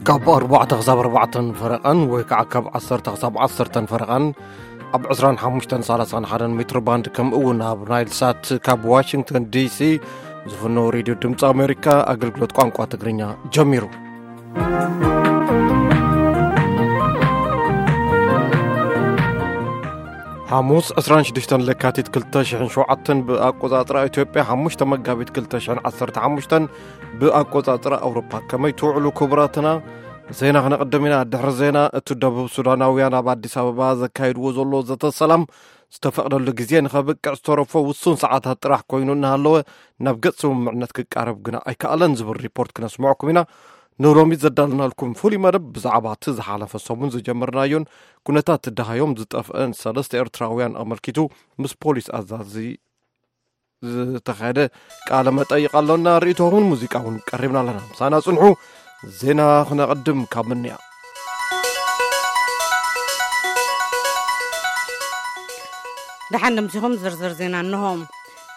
ካብ ኣርባዕተ ክሳብ ኣርባዕተን ፈረቓን ወይ ከዓ ካብ ዓሰርተ ክሳብ ዓሰርተን ፈረቓን ኣብ ዕስራን ሓሙሽተን ሰላሳን ሓደን ሜትሮ ባንድ፣ ከምኡ እውን ኣብ ናይል ሳት ካብ ዋሽንግተን ዲሲ ዝፍኖ ሬድዮ ድምፂ ኣሜሪካ ኣገልግሎት ቋንቋ ትግርኛ ጀሚሩ። ሓሙስ ዕስራን ሽዱሽተን ለካቲት ክልተ ሽሕን ሸውዓተን ብኣቆጻጽራ ኢትዮጵያ፣ ሓሙሽተ መጋቢት ክልተ ሽሕን ዓሰርተ ሓሙሽተን ብኣቆጻጽራ ኣውሮፓ። ከመይ ትውዕሉ ክቡራትና? ዜና ክነቕድም ኢና። ድሕሪ ዜና፣ እቲ ደቡብ ሱዳናውያን ኣብ ኣዲስ ኣበባ ዘካይድዎ ዘሎ ዘተ ሰላም ዝተፈቕደሉ ግዜ ንኸብቅዕ ዝተረፎ ውሱን ሰዓታት ጥራሕ ኮይኑ እናሃለወ፣ ናብ ገጽ ስምምዕነት ክቃረብ ግና ኣይከኣለን ዝብል ሪፖርት ክነስምዐኩም ኢና። ንሎሚ ዘዳለናልኩም ፍሉይ መደብ ብዛዕባ እቲ ዝሓለፈ ሰሙን ዝጀመርናዮን ኩነታት ደሃዮም ዝጠፍአን ሰለስተ ኤርትራውያን ኣመልኪቱ ምስ ፖሊስ ኣዛዚ ዝተኻየደ ቃለ መጠይቕ ኣሎና። ርእይቶኹምን ሙዚቃ እውን ቀሪብና ኣለና። ምሳና ጽንሑ። ዜና ክነቐድም ካብ ምንያ። ደሓን ድምሲኹም ዝርዝር ዜና እንሆ።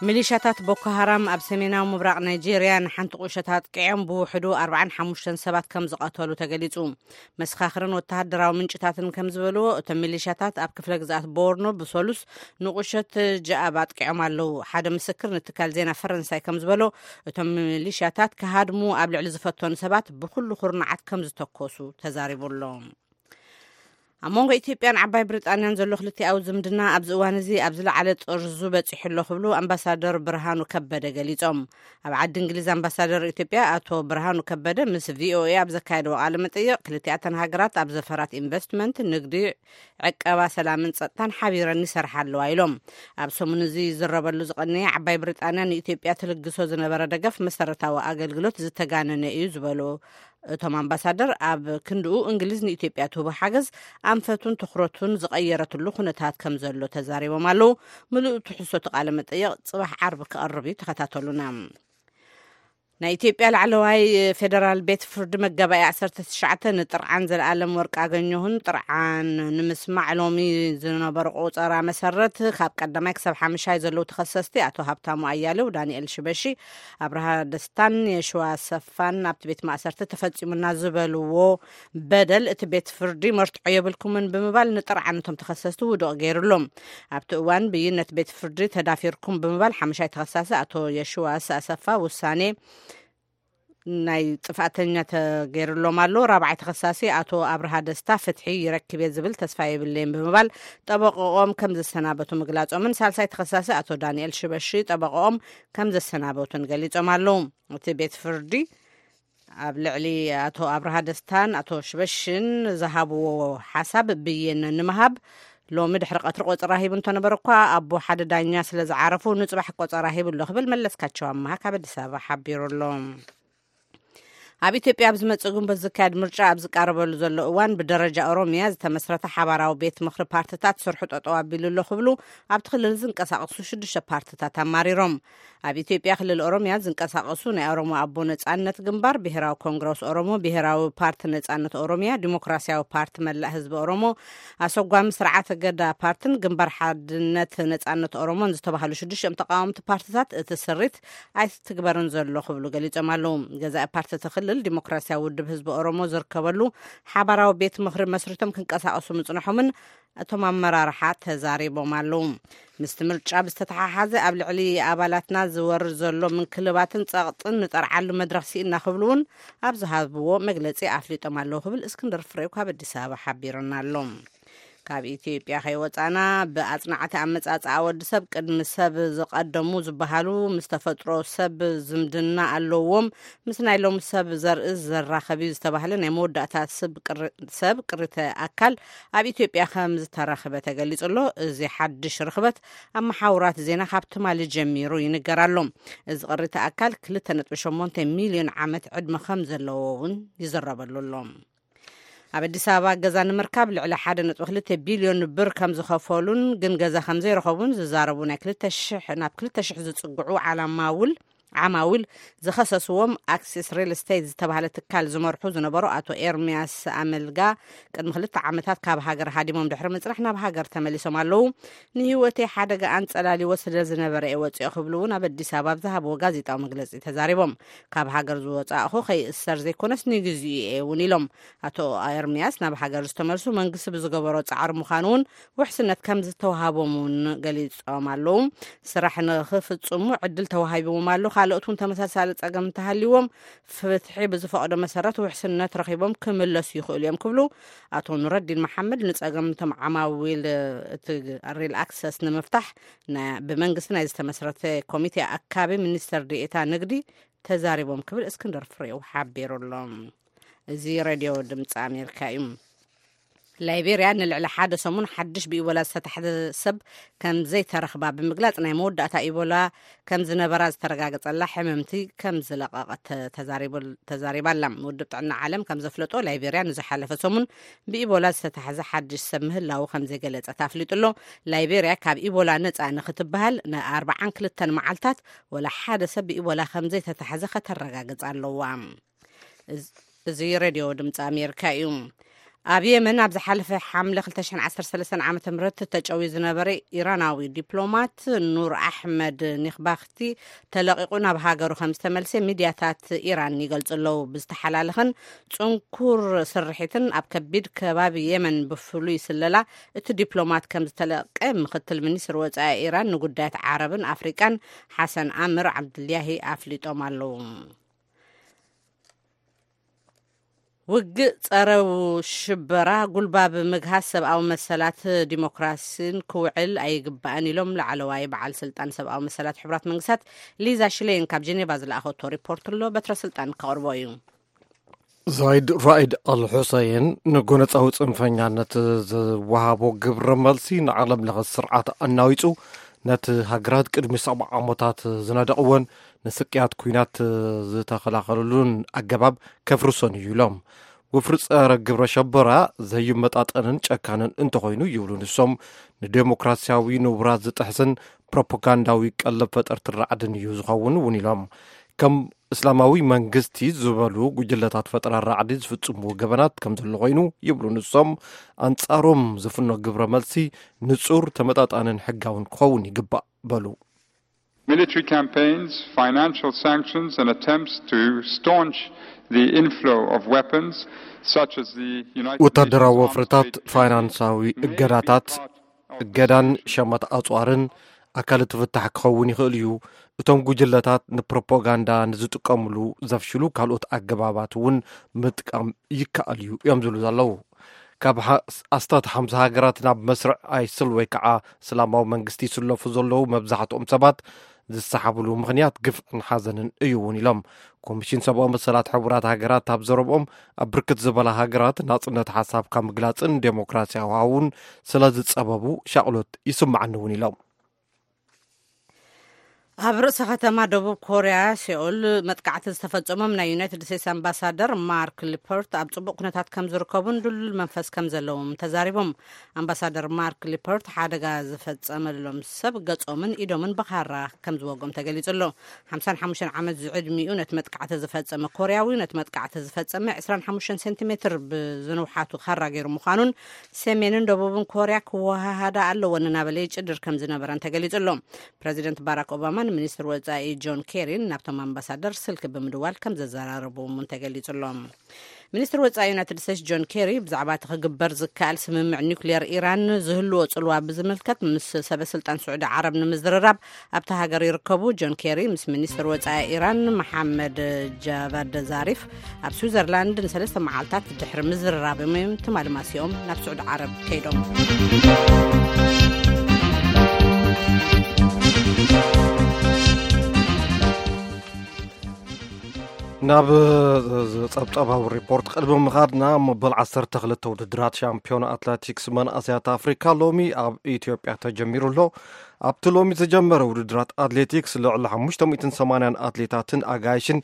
ሚሊሻታት ቦኮ ሃራም ኣብ ሰሜናዊ ምብራቕ ናይጄርያ ንሓንቲ ቁሸት ኣጥቂዖም ብውሕዱ ኣርባዓን ሓሙሽተን ሰባት ከም ዝቐተሉ ተገሊጹ። መሰኻኽርን ወተሃደራዊ ምንጭታትን ከም ዝበልዎ፣ እቶም ሚሊሻታት ኣብ ክፍለ ግዝኣት ቦርኖ ብሰሉስ ንቁሸት ጃኣብ ኣጥቂዖም ኣለዉ። ሓደ ምስክር ንትካል ዜና ፈረንሳይ ከም ዝበሎ፣ እቶም ሚሊሻታት ክሃድሙ ኣብ ልዕሊ ዝፈተኑ ሰባት ብኹሉ ኩርናዓት ከም ዝተኮሱ ተዛሪቡ ኣሎ። ኣብ መንጎ ኢትዮጵያን ዓባይ ብሪጣንያን ዘሎ ክልቲኣዊ ዝምድና ኣብዚ እዋን እዚ ኣብ ዝለዓለ ጥርዙ በጺሑ ኣሎ ክብሉ ኣምባሳደር ብርሃኑ ከበደ ገሊጾም። ኣብ ዓዲ እንግሊዝ ኣምባሳደር ኢትዮጵያ ኣቶ ብርሃኑ ከበደ ምስ ቪኦኤ ኣብ ዘካየድዎ ቃለ መጠይቕ፣ ክልቲኣተን ሃገራት ኣብ ዘፈራት ኢንቨስትመንት፣ ንግዲ፣ ዕቀባ፣ ሰላምን ጸጥታን ሓቢረን ይሰርሓ ኣለዋ ኢሎም። ኣብ ሰሙን እዚ ይዝረበሉ ዝቐነየ ዓባይ ብሪጣንያ ንኢትዮጵያ ትልግሶ ዝነበረ ደገፍ መሰረታዊ ኣገልግሎት ዝተጋነነ እዩ ዝበሉ እቶም ኣምባሳደር፣ ኣብ ክንድኡ እንግሊዝ ንኢትዮጵያ ትህቦ ሓገዝ ኣንፈቱን ትኹረቱን ዝቐየረትሉ ኩነታት ከም ዘሎ ተዛሪቦም ኣለዉ። ምሉእ ትሕዝቶ እቲ ቃለ መጠይቕ ጽባሕ ዓርቢ ክቐርብ እዩ፣ ተኸታተሉና። ናይ ኢትዮጵያ ላዕለዋይ ፌደራል ቤት ፍርዲ መጋባእያ ዓሰርተ ትሽዓተ ንጥርዓን ዘለኣለም ወርቅ ኣገኘሁን ጥርዓን ንምስማዕ ሎሚ ዝነበሩ ቆጸራ መሰረት፣ ካብ ቀዳማይ ክሳብ ሓምሻይ ዘለዉ ተኸሰስቲ፣ ኣቶ ሃብታሙ ኣያሌው፣ ዳንኤል ሽበሺ፣ ኣብርሃ ደስታን የሽዋ ሰፋን ኣብቲ ቤት ማእሰርቲ ተፈጺሙና ዝበልዎ በደል እቲ ቤት ፍርዲ መርትዖ የብልኩምን ብምባል ንጥርዓን እቶም ተኸሰስቲ ውዱቕ ገይሩሎም። ኣብቲ እዋን ብይን ነቲ ቤት ፍርዲ ተዳፊርኩም ብምባል ሓምሻይ ተኸሳሲ ኣቶ የሽዋስ ኣሰፋ ውሳኔ ናይ ጥፍኣተኛ ተገይሩሎም ኣሎ። ራብዓይ ተኸሳሲ ኣቶ ኣብርሃ ደስታ ፍትሒ ይረክብ እየ ዝብል ተስፋ የብለይን ብምባል ጠበቆኦም ከም ዘሰናበቱ ምግላጾምን፣ ሳልሳይ ተኸሳሲ ኣቶ ዳንኤል ሽበሺ ጠበቆኦም ከም ዘሰናበቱን ገሊጾም ኣለዉ። እቲ ቤት ፍርዲ ኣብ ልዕሊ ኣቶ ኣብርሃ ደስታን ኣቶ ሽበሽን ዝሃብዎ ሓሳብ ብይን ንምሃብ ሎሚ ድሕሪ ቀትሪ ቆጸራ ሂቡ እንተነበረ እኳ፣ ኣቦ ሓደ ዳኛ ስለ ዝዓረፉ ንጽባሕ ቆጸራ ሂቡ ኣሎ ክብል መለስካቸው ኣመሃ ካብ ኣዲስ ኣበባ ሓቢሩ ኣሎ። ኣብ ኢትዮጵያ ኣብ ዝመጽእ ግንቦት ዝካየድ ምርጫ ኣብ ዝቃረበሉ ዘሎ እዋን፣ ብደረጃ ኦሮሚያ ዝተመስረተ ሓባራዊ ቤት ምኽሪ ፓርትታት ስርሑ ጠጠው ኣቢሉ ኣሎ ክብሉ ኣብቲ ክልል ዝንቀሳቐሱ ሽዱሽተ ፓርትታት ኣማሪሮም። ኣብ ኢትዮጵያ ክልል ኦሮሚያ ዝንቀሳቐሱ ናይ ኦሮሞ ኣቦ ነጻነት ግንባር፣ ብሄራዊ ኮንግረስ ኦሮሞ፣ ብሄራዊ ፓርቲ ነጻነት ኦሮሚያ፣ ዲሞክራሲያዊ ፓርቲ መላእ ህዝቢ ኦሮሞ፣ ኣሰጓሚ ስርዓተ ገዳ ፓርትን ግንባር ሓድነት ነጻነት ኦሮሞን ዝተባህሉ ሽዱሽተ ተቃወምቲ ፓርትታት እቲ ስሪት ኣይትግበርን ዘሎ ክብሉ ገሊጾም ኣለዉ። ገዛኢ ፓርቲ እቲ ክልል ዲሞክራሲያዊ ውድብ ህዝቢ ኦሮሞ ዝርከበሉ ሓባራዊ ቤት ምኽሪ መስሪቶም ክንቀሳቐሱ ምጽንሖምን እቶም ኣመራርሓ ተዛሪቦም ኣለዉ። ምስቲ ምርጫ ብዝተተሓሓዘ ኣብ ልዕሊ ኣባላትና ዝወርድ ዘሎ ምንክልባትን ጸቕጥን ንጠርዓሉ መድረኽ ስኢና ክብሉ እውን ኣብ ዝሃብዎ መግለጺ ኣፍሊጦም ኣለዉ ክብል እስክንድር ፍሬው ካብ ኣዲስ ኣበባ ሓቢሩና ኣሎ። ካብ ኢትዮጵያ ከይወጻና፣ ብኣጽናዕቲ ኣመጻጽኣ ወዲ ሰብ ቅድሚ ሰብ ዝቐደሙ ዝበሃሉ ምስ ተፈጥሮ ሰብ ዝምድና ኣለዎም፣ ምስ ናይ ሎሚ ሰብ ዘርኢ ዘራኸብ እዩ ዝተባህለ ናይ መወዳእታ ሰብ ቅሪ-፣ ሰብ ቅሪተ ኣካል ኣብ ኢትዮጵያ ከም ዝተረኽበ ተገሊጹ ኣሎ። እዚ ሓድሽ ርኽበት ኣብ መሓውራት ዜና ካብ ትማሊ ጀሚሩ ይንገር ኣሎ። እዚ ቅሪተ ኣካል ክልተ ነጥቢ ሸሞንተ ሚልዮን ዓመት ዕድመ ከም ዘለዎ እውን ይዝረበሉ ኣሎ። ኣብ ኣዲስ ኣበባ ገዛ ንምርካብ ልዕሊ ሓደ ነጥቢ ክልተ ቢልዮን ብር ከም ዝኸፈሉን ግን ገዛ ከም ዘይረኸቡን ዝዛረቡ ናይ ክልተ ሽሕ ናብ ክልተ ሽሕ ዝጽግዑ ዓላማ ውል ዓማዊል ዝኸሰስዎም ኣክሲስ ሪል ስቴት ዝተባህለ ትካል ዝመርሑ ዝነበሩ ኣቶ ኤርሚያስ ኣመልጋ ቅድሚ ክልተ ዓመታት ካብ ሃገር ሃዲሞም ድሕሪ ምጽናሕ ናብ ሃገር ተመሊሶም ኣለዉ። ንህይወተይ ሓደጋ ኣንጸላልዎ ስለ ዝነበረ እየ ወጺኦ ክብሉ እውን ኣብ ኣዲስ ኣበባ ኣብ ዝሃብዎ ጋዜጣዊ መግለጺ ተዛሪቦም። ካብ ሃገር ዝወጻእኹ ከይእሰር ዘይኮነስ ንግዚኡ እየ እውን ኢሎም። ኣቶ ኤርሚያስ ናብ ሃገር ዝተመልሱ መንግስቲ ብዝገበሮ ጻዕሪ ምዃኑ እውን ውሕስነት ከም ዝተዋሃቦም እውን ገሊጾም ኣለዉ። ስራሕ ንኽፍጽሙ ዕድል ተዋሂብዎም ኣሎ። ካልኦት እውን ተመሳሳሊ ጸገም እንተሃልይዎም ፍትሒ ብዝፈቕዶ መሰረት ውሕስነት ረኺቦም ክምለሱ ይኽእሉ እዮም ክብሉ ኣቶ ኑረዲን መሓመድ ንጸገም እቶም ዓማዊል እቲ ሪል ኣክሰስ ንምፍታሕ ና- ብመንግስቲ ናይ ዝተመስረተ ኮሚቴ ኣካቢ ሚኒስተር ዲኤታ ንግዲ ተዛሪቦም ክብል እስክንድር ፍሬው ሓቢሩ ኣሎ። እዚ ሬድዮ ድምፂ ኣሜሪካ እዩ። ላይቤርያ ንልዕሊ ሓደ ሰሙን ሓድሽ ብኢቦላ ዝተታሕዘ ሰብ ከም ዘይተረኽባ ብምግላጽ ናይ መወዳእታ ኢቦላ ከም ዝነበራ ዝተረጋገጸላ ሕምምቲ ከም ዝለቐቐት ተዛሪቡ- ተዛሪባ ኣላ። ውድብ ጥዕና ዓለም ከም ዘፍለጦ ላይቤርያ ንዝሓለፈ ሰሙን ብኢቦላ ዝተታሕዘ ሓድሽ ሰብ ምህላዉ ከም ዘይገለጸት ኣፍሊጡ ኣሎ። ላይቤርያ ካብ ኢቦላ ነጻ ንኽትበሃል ንኣርባዓን ክልተን መዓልታት ወላ ሓደ ሰብ ብኢቦላ ከም ዘይተታሕዘ ከተረጋግጽ ኣለዋ። እዚ- እዚ ሬድዮ ድምፂ ኣሜሪካ እዩ። ኣብ የመን ኣብ ዝሓለፈ ሓምለ ክልተ ሽሕን ዓሰርተ ሰለስተን ዓመተ ምህረት ተጨውዩ ዝነበረ ኢራናዊ ዲፕሎማት ኑር ኣሕመድ ኒኽባኽቲ ተለቒቑ ናብ ሃገሩ ከም ዝተመልሰ ሚድያታት ኢራን ይገልጹ ኣለዉ። ብዝተሓላለኸን ጽንኩር ስርሒትን ኣብ ከቢድ ከባቢ የመን ብፍሉይ ስለላ እቲ ዲፕሎማት ከም ዝተለቀ ምክትል ሚኒስትር ወጻኢ ኢራን ንጉዳያት ዓረብን ኣፍሪቃን ሓሰን ኣምር ዓብድልያሂ ኣፍሊጦም ኣለዉ። ውግእ ጸረ ሽበራ ጉልባብ ምግሃስ ሰብኣዊ መሰላት ዲሞክራሲን ክውዕል ኣይግባእን ኢሎም ላዕለዋይ በዓል ስልጣን ሰብኣዊ መሰላት ሕቡራት መንግስታት ሊዛ ሽሌን ካብ ጀኔቫ ዝለኣኸቶ ሪፖርት ኣሎ። በትረ ስልጣን ከቕርቦ እዩ። ዛይድ ራኢድ ኣል ሑሰይን ንጎነጻዊ ጽንፈኛነት ዝወሃቦ ግብረ መልሲ ንዓለም ለኸ ስርዓት ኣናዊጹ፣ ነቲ ሃገራት ቅድሚ ሰብዓ ዓመታት ዝነደቕዎን ንስቅያት ኲናት ዝተኸላኸልሉን ኣገባብ ከፍርሶን እዩ ኢሎም። ወፍሪ ጸረ ግብረ ሸበራ ዘይመጣጠንን ጨካንን እንተኾይኑ ይብሉ ንሶም፣ ንዴሞክራሲያዊ ንቡራት ዝጥሕስን ፕሮፓጋንዳዊ ቀለብ ፈጠርቲ ራዕድን እዩ ዝኸውን እውን ኢሎም። ከም እስላማዊ መንግስቲ ዝበሉ ጉጅለታት ፈጠራ ራዕዲ ዝፍጽምዎ ገበናት ከም ዘሎ ኮይኑ ይብሉ ንሶም፣ ኣንጻሮም ዝፍኖ ግብረ መልሲ ንጹር፣ ተመጣጣንን ሕጋውን ክኸውን ይግባእ በሉ። Military campaigns, financial sanctions, and attempts to staunch the inflow of weapons, such as the United Nations ወታደራዊ Arms ወፍርታት፣ Trade Treaty, ፋይናንሳዊ may be እገዳታት፣ part of the እገዳን solution. ሸመት ኣጽዋርን ኣካል እቲ ፍታሕ ክኸውን ይኽእል እዩ። እቶም ጉጅለታት ንፕሮፓጋንዳ ንዝጥቀምሉ ዘፍሽሉ ካልኦት ኣገባባት እውን ምጥቃም ይከኣል እዩ እዮም ዝብሉ ዘለዉ። ካብ ሓ- ኣስታት ሓምሳ ሃገራት ናብ መስርዕ ኣይስል ወይ ከዓ እስላማዊ መንግስቲ ይስለፉ ዘለዉ መብዛሕትኦም ሰባት ዝሰሓብሉ ምኽንያት ግፍዕን ሓዘንን እዩ እውን ኢሎም። ኮሚሽን ሰብኣዊ መሰላት ሕቡራት ሃገራት ኣብ ዘረብኦም ኣብ ብርክት ዝበላ ሃገራት ናጽነት ሓሳብካ ምግላጽን ዴሞክራሲያዊ ሃውን ስለ ዝጸበቡ ሻቕሎት ይስምዓኒ እውን ኢሎም። ኣብ ርእሰ ከተማ ደቡብ ኮርያ ሴኦል መጥቃዕቲ ዝተፈጸሞም ናይ ዩናይትድ ስቴትስ ኣምባሳደር ማርክ ሊፐርት ኣብ ጽቡቕ ኩነታት ከም ዝርከቡን ድሉል መንፈስ ከም ዘለዎም ተዛሪቦም። ኣምባሳደር ማርክ ሊፐርት ሓደጋ ዝፈጸመሎም ሰብ ገጾምን ኢዶምን ብኻራ ከም ዝወጎም ተገሊጹ ኣሎ። ሓምሳን ሓሙሽተን ዓመት ዝዕድሚኡ ነቲ መጥቃዕቲ ዝፈጸመ ኮርያዊ ነቲ መጥቃዕቲ ዝፈጸመ ዕስራን ሓሙሽተን ሴንቲሜትር ብዝንውሓቱ ካራ ገይሩ ምዃኑን ሰሜንን ደቡብን ኮርያ ክወሃሃዳ ኣለወን እናበለ ይጭድር ከም ዝነበረን ተገሊጹ ኣሎ። ፕረዚደንት ባራክ ኦባማን ሚኒስትር ወጻኢ ጆን ኬሪን ናብቶም ኣምባሳደር ስልኪ ብምድዋል ከም ዘዘራረብዎም እውን ተገሊጹ ኣሎ። ሚኒስትር ወጻኢ ዩናይትድ ስቴትስ ጆን ኬሪ ብዛዕባ እቲ ክግበር ዝከኣል ስምምዕ ኒውክሌር ኢራን ዝህልዎ ጽልዋ ብዝምልከት ምስ ሰበ ስልጣን ስዑዲ ዓረብ ንምዝርራብ ኣብታ ሃገር ይርከቡ። ጆን ኬሪ ምስ ሚኒስትር ወጻኢ ኢራን መሓመድ ጃቫድ ዛሪፍ ኣብ ስዊዘርላንድ ንሰለስተ መዓልታት ድሕሪ ምዝርራቦም እዮም ትማሊ ማሲኦም ናብ ስዑዲ ዓረብ ከይዶም። ናብ ጸብጻባዊ ሪፖርት ቅድሚ ምኻድና፣ መበል ዓሰርተ ክልተ ውድድራት ሻምፒዮን ኣትሌቲክስ መናእሰያት ኣፍሪካ ሎሚ ኣብ ኢትዮጵያ ተጀሚሩ ኣሎ። ኣብቲ ሎሚ ዝጀመረ ውድድራት ኣትሌቲክስ ልዕሊ ሓሙሽተ ሚእትን ሰማንያን ኣትሌታትን ኣጋይሽን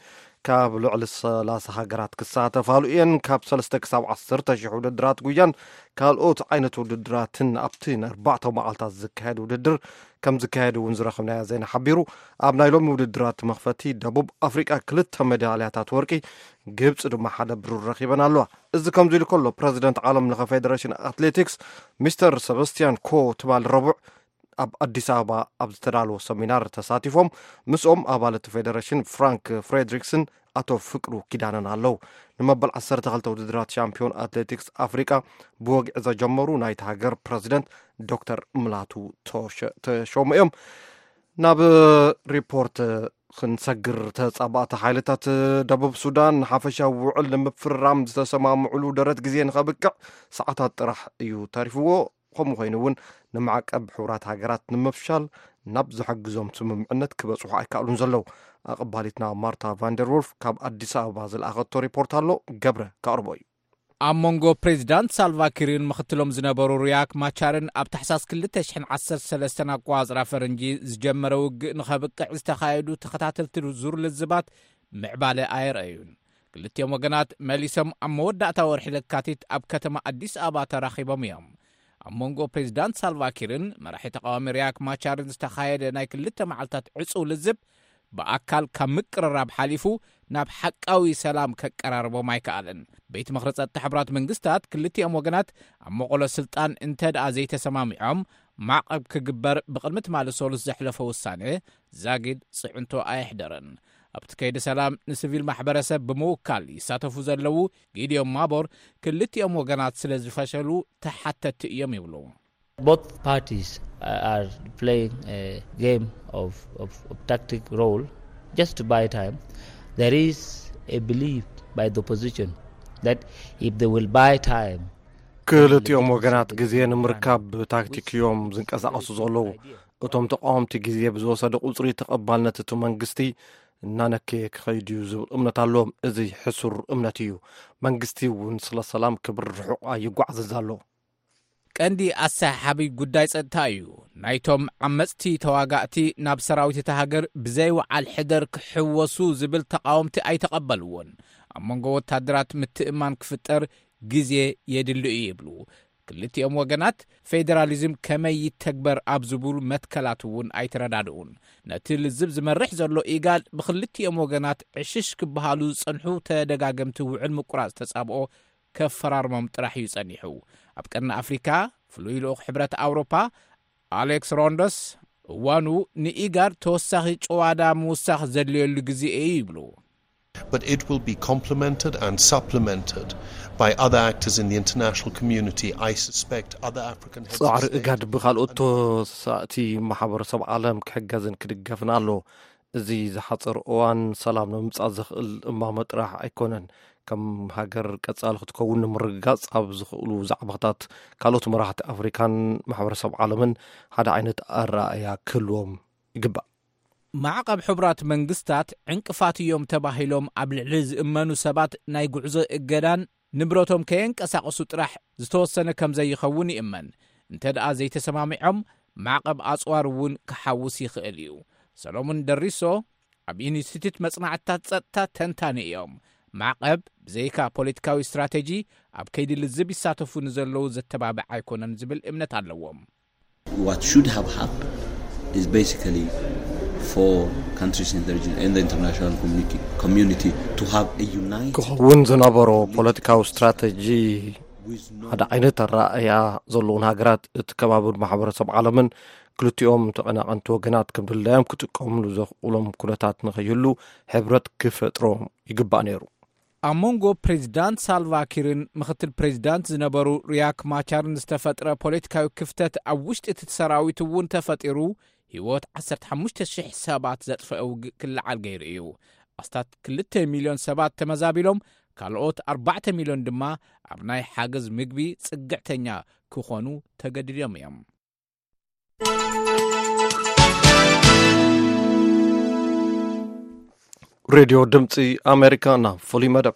ካብ ልዕሊ ሰላሳ ሃገራት ክሳተፋሉ እየን። ካብ ሰለስተ ክሳብ ዓሰርተ ሽሕ ውድድራት ጉያን ካልኦት ዓይነት ውድድራትን ኣብቲ ንኣርባዕተ መዓልታት ዝካየድ ውድድር ከም ዝካየድ እውን ዝረኸብናዮ ዜና ሓቢሩ። ኣብ ናይ ሎሚ ውድድራት መኽፈቲ ደቡብ ኣፍሪቃ ክልተ ሜዳልያታት ወርቂ፣ ግብፂ ድማ ሓደ ብሩር ረኺበን ኣለዋ። እዚ ከምዚ ኢሉ ከሎ፣ ፕረዚደንት ዓለም ለኸ ፌዴሬሽን ኣትሌቲክስ ሚስተር ሰበስቲያን ኮ ትማል ረቡዕ ኣብ ኣዲስ ኣበባ ኣብ ዝተዳለወ ሰሚናር ተሳቲፎም፣ ምስኦም ኣባል እቲ ፌዴሬሽን ፍራንክ ፍሬድሪክስን ኣቶ ፍቅሩ ኪዳነን ኣለዉ። ንመበል ዓሰርተ ክልተ ውድድራት ሻምፒዮን ኣትሌቲክስ ኣፍሪቃ ብወግዒ ዘጀመሩ ናይቲ ሃገር ፕረዚደንት ዶክተር ምላቱ ተሸ-፣ ተሾሙ እዮም። ናብ ሪፖርት ክንሰግር፣ ተጻባእቲ ሓይልታት ደቡብ ሱዳን ንሓፈሻዊ ውዕል ንምፍርራም ዝተሰማምዕሉ ደረት ግዜ ንኸብቅዕ ሰዓታት ጥራሕ እዩ ተሪፍዎ። ከምኡ ኮይኑ እውን ንማዕቀብ ሕቡራት ሃገራት ንምፍሻል ናብ ዝሕግዞም ስምምዕነት ክበጽሑ ኣይከኣሉን ዘለዉ። ኣቐባሊትና ማርታ ቫንደርወልፍ ካብ ኣዲስ ኣበባ ዝለኣኸቶ ሪፖርት ኣሎ፣ ገብረ ከቕርቦ እዩ። ኣብ መንጎ ፕሬዚዳንት ሳልቫኪርን ምኽትሎም ዝነበሩ ሪያክ ማቻርን ኣብ ታሕሳስ ክልተ ሽሕን ዓሰርተ ሰለስተን ኣቋጽራ ፈረንጂ ዝጀመረ ውግእ ንኸብቅዕ ዝተኻየዱ ተኸታተልቲ ዙር ልዝባት ምዕባለ ኣየርኣዩን። ክልቲኦም ወገናት መሊሶም ኣብ መወዳእታ ወርሒ ለካቲት ኣብ ከተማ ኣዲስ ኣበባ ተራኺቦም እዮም። ኣብ መንጎ ፕሬዚዳንት ሳልቫኪርን መራሒ ተቃዋሚ ሪያክ ማቻርን ዝተኻየደ ናይ ክልተ መዓልታት ዕጹው ልዝብ ብኣካል ካብ ምቅርራብ ሓሊፉ ናብ ሓቃዊ ሰላም ከቀራርቦም ኣይከኣለን። ቤት ምኽሪ ጸጥታ ሕቡራት መንግስታት ክልቲኦም ወገናት ኣብ መቐሎ ስልጣን እንተ ደኣ ዘይተሰማሚዖም ማዕቐብ ክግበር ብቕድሚ ትማሊ ሰሉስ ዘሕለፎ ውሳነ ዛጊድ ጽዕንቶ ኣየሕደረን። ኣብቲ ከይዲ ሰላም ንሲቪል ማሕበረሰብ ብምውካል ይሳተፉ ዘለዉ ጊዲዮን ማቦር ክልቲኦም ወገናት ስለ ዝፈሸሉ ተሓተቲ እዮም ይብሉ። Both parties are playing a game of, of, of tactic role just to buy time. There is a belief by the opposition that if they will buy time, ክልቲኦም ወገናት ግዜ ንምርካብ ብታክቲክ እዮም ዝንቀሳቐሱ ዘለዉ። እቶም ተቃወምቲ ግዜ ብዝወሰደ ቁጽሪ ተቐባልነት እቲ መንግስቲ እናነከየ ክኸይድ እዩ ዝብል እምነት ኣለዎም። እዚ ሕሱር እምነት እዩ። መንግስቲ እውን ስለ ሰላም ክብር ርሑቕ ኣይጓዓዝዝ ኣሎ። ቀንዲ ኣሰሓሓቢ ጉዳይ ጸጥታ እዩ። ናይቶም ዓመጽቲ ተዋጋእቲ ናብ ሰራዊት እታ ሃገር ብዘይ ወዓል ሕደር ክሕወሱ ዝብል ተቃወምቲ ኣይተቐበልዎን። ኣብ መንጎ ወታደራት ምትእማን ክፍጠር ግዜ የድሊ እዩ ይብሉ። ክልቲኦም ወገናት ፌዴራሊዝም ከመይ ይተግበር ኣብ ዝብሉ መትከላት እውን ኣይተረዳድኡን። ነቲ ልዝብ ዝመርሕ ዘሎ ኢጋድ ብክልቲኦም ወገናት ዕሽሽ ክበሃሉ ዝጸንሑ ተደጋገምቲ ውዕል ምቁራጽ ተጻብኦ ከፈራርሞም ጥራሕ እዩ ጸኒሑ። ኣብ ቀርኒ ኣፍሪካ ፍሉይ ልኡኽ ሕብረት ኣውሮፓ ኣሌክስ ሮንዶስ እዋኑ ንኢጋድ ተወሳኺ ጭዋዳ ምውሳኽ ዘድልየሉ ግዜ እዩ ይብሉ። But it will be complemented and supplemented by other actors in the international community. I suspect other African heads of ጻዕሪ state እጋድ ብኻልኦት ተወሳእቲ ማሕበረሰብ ዓለም ክሕገዝን ክድገፍን ኣሎ። እዚ ዝሓፀረ እዋን ሰላም ንምምፃእ ዘኽእል እማመ ጥራሕ ኣይኮነን። ከም ሃገር ቀፃሊ ክትከውን ንምርግጋፅ ኣብ ዝኽእሉ ዛዕባታት ካልኦት መራሕቲ ኣፍሪካን ማሕበረሰብ ዓለምን ሓደ ዓይነት ኣረኣእያ ክህልዎም ይግባእ። ማዕቐብ ሕቡራት መንግስታት ዕንቅፋት እዮም ተባሂሎም ኣብ ልዕሊ ዝእመኑ ሰባት ናይ ጉዕዞ እገዳን ንብረቶም ከየንቀሳቐሱ ጥራሕ ዝተወሰነ ከም ዘይኸውን ይእመን። እንተ ደኣ ዘይተሰማሚዖም ማዕቐብ ኣጽዋር እውን ክሓውስ ይኽእል እዩ። ሰሎሞን ደሪሶ ኣብ ኢንስቲትዩት መጽናዕትታት ጸጥታ ተንታኒ እዮም። ማዕቐብ ብዘይካ ፖለቲካዊ ስትራተጂ ኣብ ከይዲ ልዝብ ይሳተፉ ንዘለዉ ዘተባብዕ ኣይኮነን ዝብል እምነት ኣለዎም። What should have happened is basically for countries in the region and the international community, community to have a united ክኸውን ዝነበሮ ፖለቲካዊ ስትራተጂ ሓደ ዓይነት ኣረኣእያ ዘለውን ሃገራት እቲ ከባብን ማሕበረሰብ ዓለምን ክልቲኦም ተቐናቐንቲ ወገናት ከም ድላዮም ክጥቀምሉ ዘኽእሎም ኩነታት ንኸይህሉ ሕብረት ክፈጥሮም ይግባእ ነይሩ። ኣብ መንጎ ፕሬዚዳንት ሳልቫኪርን ምክትል ፕሬዚዳንት ዝነበሩ ሪያክ ማቻርን ዝተፈጥረ ፖለቲካዊ ክፍተት ኣብ ውሽጢ እቲ ሰራዊት እውን ተፈጢሩ ህይወት ዓሰርተ ሓሙሽተ ሽሕ ሰባት ዘጥፈአ ውግእ ክለዓል ገይሩ እዩ። ኣስታት ክልተ ሚልዮን ሰባት ተመዛቢሎም ካልኦት ኣርባዕተ ሚልዮን ድማ ኣብ ናይ ሓገዝ ምግቢ ጽግዕተኛ ክኾኑ ተገዲዶም እዮም። ሬድዮ ድምፂ ኣሜሪካ ናብ ፍሉይ መደብ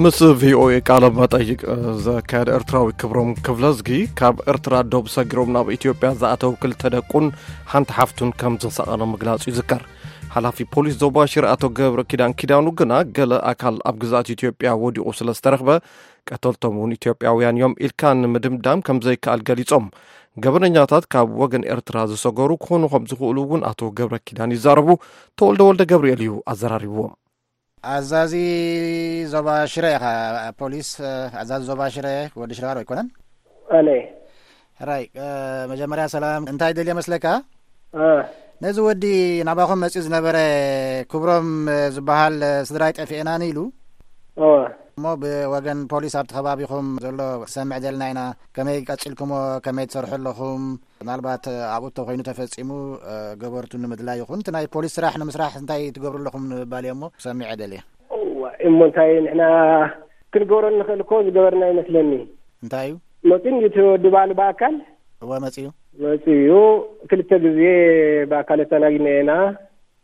ምስ ቪኦኤ ቃለ መጠይቅ ዘካየደ ኤርትራዊ ክብሮም ክፍለዝጊ፣ ካብ ኤርትራ ዶብ ሰጊሮም ናብ ኢትዮጵያ ዝኣተው ክልተ ደቁን ሓንቲ ሓፍቱን ከም ዝተሰቐለ ምግላጹ ይዝከር። ሓላፊ ፖሊስ ዞባ ሽረ ኣቶ ገብረ ኪዳን ኪዳኑ ግና፣ ገለ ኣካል ኣብ ግዝኣት ኢትዮጵያ ወዲቑ ስለ ዝተረኽበ፣ ቀተልቶም እውን ኢትዮጵያውያን እዮም ኢልካ ንምድምዳም ከም ዘይከኣል ገሊጾም። ገበነኛታት ካብ ወገን ኤርትራ ዝሰገሩ ክኾኑ ከም ዝኽእሉ እውን ኣቶ ገብረ ኪዳን ይዛረቡ። ተወልደ ወልደ ገብርኤል እዩ ኣዘራሪብዎም። ኣዛዚ ዞባ ሽረ ኢኻ፣ ፖሊስ፣ ኣዛዚ ዞባ ሽረ ወዲ ሽረባር ኣይኮነን? ኣነ። ሕራይ፣ መጀመርያ ሰላም፣ እንታይ ደልየ መስለካ? ነዚ ወዲ ናባኹም መጺኡ ዝነበረ ክብሮም ዝበሃል ስድራይ ጠፊኤናኒ ኢሉ እሞ ብወገን ፖሊስ ኣብቲ ከባቢኹም ዘሎ ሰምዕ ዘለና ኢና። ከመይ ቀጺልኩሞ፣ ከመይ ትሰርሑ ኣለኹም? ምናልባት ኣብኡ እንተኾይኑ ተፈጺሙ፣ ገበርቱ ንምድላይ ይኹን፣ እቲ ናይ ፖሊስ ስራሕ ንምስራሕ እንታይ ትገብሩ ኣለኹም ንምባል እየ እሞ ክሰምዕ እየ ደልየ። እዋ፣ እሞ እንታይ ንሕና ክንገብሮ ንኽእል እኮ ዝገበርና ይመስለኒ። እንታይ እዩ? መጺኡ እንዲ እቲ ወዲ ባዕሉ ብኣካል እወ፣ መጺኡ። መጺኡ ክልተ ግዜ ብኣካል ተናጊና ኢና።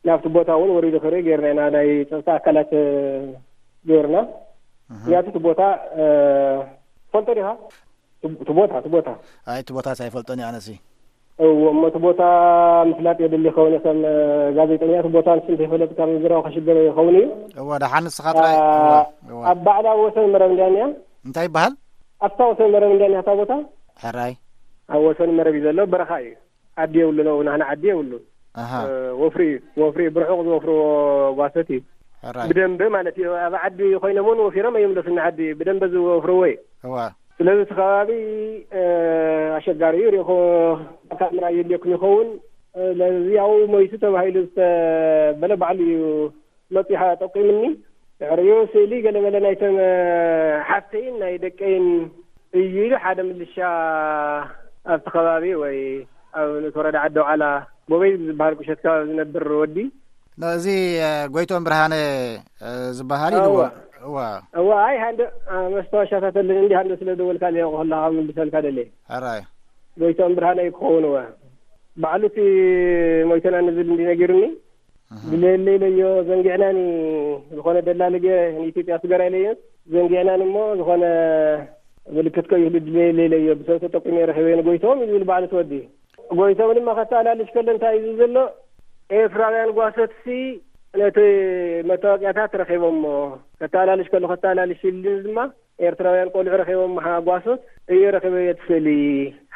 ናብቲ ቦታ እውን ወሪዱ ክርኢ ጌርና ኢና፣ ናይ ጸጥታ ኣካላት፣ እ፣ ጌርና። እህ። ምክንያቱ እቲ ቦታ፣ እ፣ ትፈልጦ ዲኻ? እቲ፣ እቲ ቦታ፣ እቲ ቦታ። ኣይ፣ እቲ ቦታስ ኣይፈልጦን እየ ኣነሲ። እዎ፣ እሞ እቲ ቦታ ምፍላጥ የድሊ ይኸውን። ከም ጋዜጠኛ እቲ ቦታ ንሱ እንተይፈለጥካ ምዝራብ ከሽግር ይኸውን እዩ። እወ፣ ደሓን ንስኻ ጥራይ። አ-፣ እወ፣ እወ። ኣብ ባዕላ ወሰን መረብ እንድያ እኒኣ። እንታይ ይበሃል? ኣብታ ወሰን መረብ እንድያ እኒኣ እታ ቦታ። ሕራይ። ኣብ ወሰን መረብ እዩ ዘሎ፣ በረኻ እዩ። ዓዲ የብሉን፣ ኣብኡ ናህና ዓዲ የብሉን። ኣሃ። እ፣ ወፍሪ እዩ፣ ወፍሪ እዩ፣ ብርሑቕ ዝወፍርዎ ጓሶት እዩ። ሕራይ። ብደንበ ማለት እዩ። ኣብ ዓዲ ኮይኖም እውን ወፊሮም ኣይምለሱን ንዓዲ፣ ብደንበ ዝወፍርዎ እዩ። እዋ። ስለዚ እቲ ከባቢ፣ እ፣ ኣሸጋሪ እዩ። ሪኢኹ ኣካል ምርኣይ የድልየኩም ይኸውን። እ፣ ለዚ ያው ሞይቱ ተባሂሉ ዝተበለ ባዕሉ እዩ መጺሓ ጠቂምኒ። ድሕሪኡ ስእሊ ገለመለ ናይተን ሓፍተይን ናይ ደቀይን እዩ ኢሉ ሓደ ምልሻ ኣብቲ ከባቢ ወይ ኣብ ንእቲ ወረዳ ዓዲ ኣውዓላ ጎበይ ዝበሃል ቁሸት ከባቢ ዝነብር ወዲ። ኖ፣ እዚ፣ እ፣ ጎይቶም ብርሃነ፣ እ፣ ዝበሃል እዩ እወ። ድዎ? እዋ። እዋ፣ ኣይ፣ ሃንደ፣ እ፣ መስታወሻታት ኣለኒ እንዲ ሃንደ ስለ ደወልካ እየ ከለኻ ምልሰልካ ደለ። ሕራይ። ጎይቶም ብርሃነ እዩ ክኸውን እወ። ባዕሉ እቲ ሞይተና ንብል እንዲ ነጊሩኒ። እህ። ድሌለይ ኢለዮ ዘንጊዕናኒ ዝኾነ ደላሊ ገ-፣ ንኢትዮጵያ ስገራ ኢለዮ ዘንጊዕናኒ እሞ ዝኾነ ምልክት ከይህሉ ድሌለይ ኢለዮ ብሰብ ተጠቂመ ረኺበዮ ንጎይቶም እዩ ዝብል ባዕሉ እቲ ወዲ። ጎይቶም ድማ ከተኣላልሽ ከሎ እንታይ እዩ ዝብል ዘሎ? ኤርትራውያን ጓሶትሲ ነቲ መታወቂያታት ረኺቦሞ ከተኣላልሽ ከሎ ከተኣላልሽ ኢሉ ድማ ኤርትራውያን ቆልዑ ረኺቦም መሓ-፣ ጓሶት እየ ረኺበዮ እቲ ስእሊ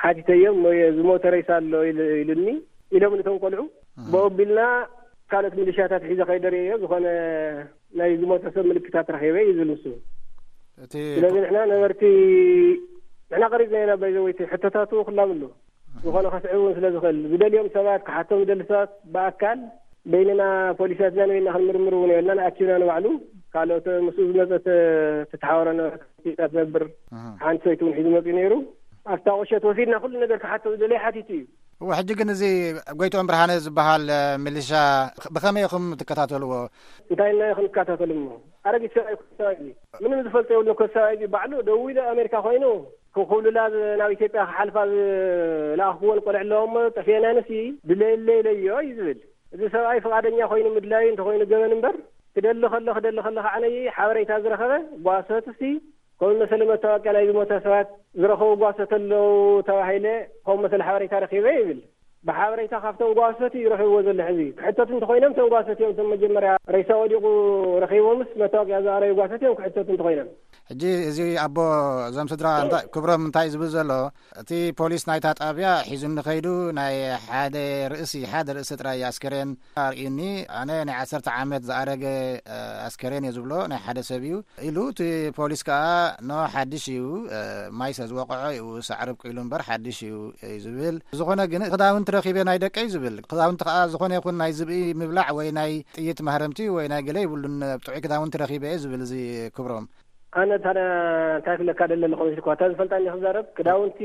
ሓቲተዮም እሞ እየ ዝሞተ ሬሳ ኣሎ ኢሉ-፣ ኢሉኒ ኢሎም ነቶም ቆልዑ። እህ። ብኡ ኣቢልና ካልኦት ሚሊሻታት ሒዘ ከይደ ርእየዮ ዝኾነ ናይ ዝሞተ ሰብ ምልክታት ረኺበ እዩ ዝብል ንሱ። እቲ ስለዚ ንሕና ነበርቲ ንሕና ቀሪጽና ኢና ባይዘወይቲ ሕቶታቱ ክላብሉ ዝኾነ ከስዕብ እውን ስለ ዝኽእል ዝደልዮም ሰባት ክሓቶም ዝደሊ ሰባት ብኣካል በይንና ፖሊሳትና ንበይንና ክንምርምር እውን የብልናን። ኣኪብና ንባዕሉ ካልኦት ምስኡ ዝመጸት ትተሓወረ ነበረት ኢትዮጵያ ትነብር እህ። ሓንቲ ሰበይቲ እውን ሒዙ መጺኡ ነይሩ። ኣብታ ቁሸት ወሲድና ኩሉ ነገር ክሓቶ ዝደለየ ሓቲቱ እዩ። እወ፣ ሕጂ ግን እዚ ጎይትኦም ብርሃነ ዝበሃል፣ እ፣ ሚሊሻ ብኸመይ ኢኹም ትከታተልዎ? እንታይ ኢልና ክንከታተል እሞ? ኣረጊት ሰብኣይ እኮ ሰብኣይ እዩ። ምንም ዝፈልጦ የብሉን እኮ ሰብኣይ እዩ። ባዕሉ ደዊሉ ኣሜሪካ ኮይኑ ክኹብልላ ዝ-፣ ናብ ኢትዮጵያ ክሓልፋ ዝለኣኽኩወን ቆልዑ ኣለዎ እሞ ጠፊኤናንሲ ድለየለይ ኢለዮ እዩ ዝብል። እዚ ሰብኣይ ፍቓደኛ ኮይኑ ምድላዩ እንተኾይኑ ገበን እምበር፣ ክደሊ ከሎ፣ ክደሊ ከሎ ከዓነይ ሓበሬታ ዝረኸበ ጓሶትሲ ከምኡ መሰለ መታወቂያ ናይ ዝሞተ ሰባት ዝረኸቡ ጓሶት ኣለዉ ተባሂለ፣ ከምኡ መሰለ ሓበሬታ ረኺበ ይብል። ብሓበሬታ ካብቶም ጓሶት እዩ ረኺብዎ ዘሎ። ሕዚ ክሕተቱ እንተኾይኖም እቶም ጓሶት እዮም፣ እቶም መጀመርያ ሬሳ ወዲቑ ረኺቦምስ መታወቂያ ዝኣረዩ ጓሶት እዮም ክሕተቱ እንተኾይኖም። ሕጂ እዚ ኣቦ እዞም ስድራ እንታይ፣ ክብሮም እንታይ ዝብል ዘሎ፣ እቲ ፖሊስ ናይታ ጣብያ ሒዙኒ ከይዱ ናይ ሓደ ርእሲ፣ ሓደ ርእሲ ጥራይ ኣስከሬን ኣርእዩኒ። ኣነ ናይ ዓሰርተ ዓመት ዝኣረገ፣ እ፣ ኣስከሬን እየ ዝብሎ፣ ናይ ሓደ ሰብ እዩ ኢሉ፣ እቲ ፖሊስ ከኣ ኖ ሓድሽ እዩ፣ እ፣ ማይ ስለ ዝወቕዖ እዩ ሳዕሪ ኣብቂሉ እምበር ሓድሽ እዩ፣ እዩ ዝብል። ዝኾነ ግን ክዳውንቲ ረኺበ ናይ ደቀይ ዝብል። ክዳውንቲ ከኣ ዝኾነ ይኹን ናይ ዝብኢ ምብላዕ ወይ ናይ ጥይት ማህረምቲ ወይ ናይ ገለ ይብሉን፣ ጥዑይ ክዳውንቲ ረኺበ እየ ዝብል እዚ ክብሮም። ኣነ ታዲያ እንታይ ክብለካ ደለ ኣለኹ መሲልኩ? እታ ዝፈልጣ እንዲ ክዛረብ ክዳውንቲ፣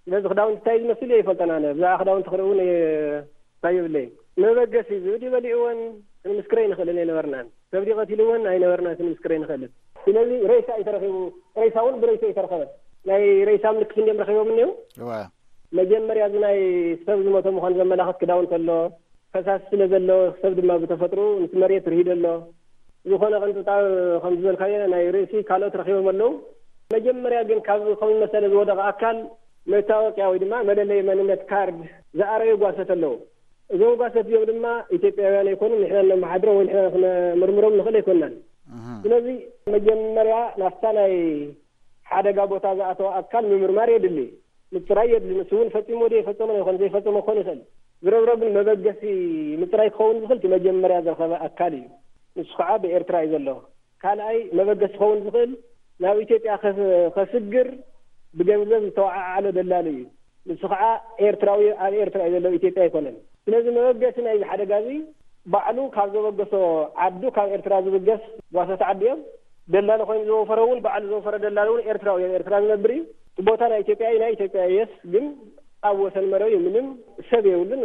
ስለዚ ክዳውንቲ እንታይ ዝመስል እየ ይፈልጠን ኣነ። ብዛዕባ ክዳውንቲ ክርኢ እውን እየ እንታይ የብለይን። መበገሲ ዝብኢ በሊዕወን ክንምስክሮ ኣይንኽእልን ኣይነበርናን። ሰብ ድዩ ቀቲልወን ኣይነበርናን ክንምስክሮ ኣይንኽእልን። ስለዚ ሬሳ እዩ ተረኺቡ። ሬሳ እውን ብሬሳ እዩ ተረኸበ። ናይ ሬሳ ምልክት እንዲዮም ረኺቦም እኒው። እወ። መጀመርያ እዚ ናይ ሰብ ዝሞተ ምዃኑ ዘመላኽት ክዳውንቲ ኣሎ። ፈሳሲ ስለ ዘሎ ሰብ ድማ ብተፈጥሮ ምስ መሬት ርሂዶ ኣሎ። ዝኾነ ቅንጥጣብ ከም ዝበልካዮ ናይ ርእሲ ካልኦት ረኺቦም ኣለዉ። መጀመርያ ግን ካብ ከምዚ መሰለ ዝወደቐ ኣካል መታወቅያ ወይ ድማ መለለይ መንነት ካርድ ዝኣረዩ ጓሰት ኣለዉ። እዞም ጓሰት እዚኦም ድማ ኢትዮጵያውያን ኣይኮኑን፣ ንሕና ነመሓድሮም ወይ ንሕና ክነምርምሮም ንኽእል ኣይኮንናን። ስለዚ መጀመርያ ናብታ ናይ ሓደጋ ቦታ ዝኣተወ ኣካል ምምርማር የድሊ፣ ምፅራይ የድሊ። ንሱ እውን ፈፂሞ ዶ የፈፀመ ይኾን ዘይፈፀመ ክኾን ይኽእል። ዝረብረብን መበገሲ ምፅራይ ክኸውን ዝኽእል እቲ መጀመርያ ዝረኸበ ኣካል እዩ። ንሱ ከዓ ብኤርትራ እዩ ዘሎ። ካልኣይ መበገሲ ክኸውን ዝኽእል ናብ ኢትዮጵያ ከስ- ከስግር ብገንዘብ ዝተወዓዓለ ደላሉ እዩ። ንሱ ከዓ ኤርትራዊ ኣብ ኤርትራ እዩ ዘሎ፣ ኢትዮጵያ ኣይኮነን። ስለዚ መበገሲ ናይዚ ሓደጋ እዚ ባዕሉ ካብ ዘበገሶ ዓዱ፣ ካብ ኤርትራ ዝብገስ ጓሶት ዓዲ እዮም። ደላሎ ኮይኑ ዝወፈረ እውን ባዕሉ ዝወፈረ ደላሎ እውን ኤርትራዊ ኣብ ኤርትራ ዝነብር እዩ። እቲ ቦታ ናይ ኢትዮጵያ እዩ፣ ናይ ኢትዮጵያ እየስ ግን ኣብ ወሰን መረብ እዩ። ምንም ሰብ የብሉን።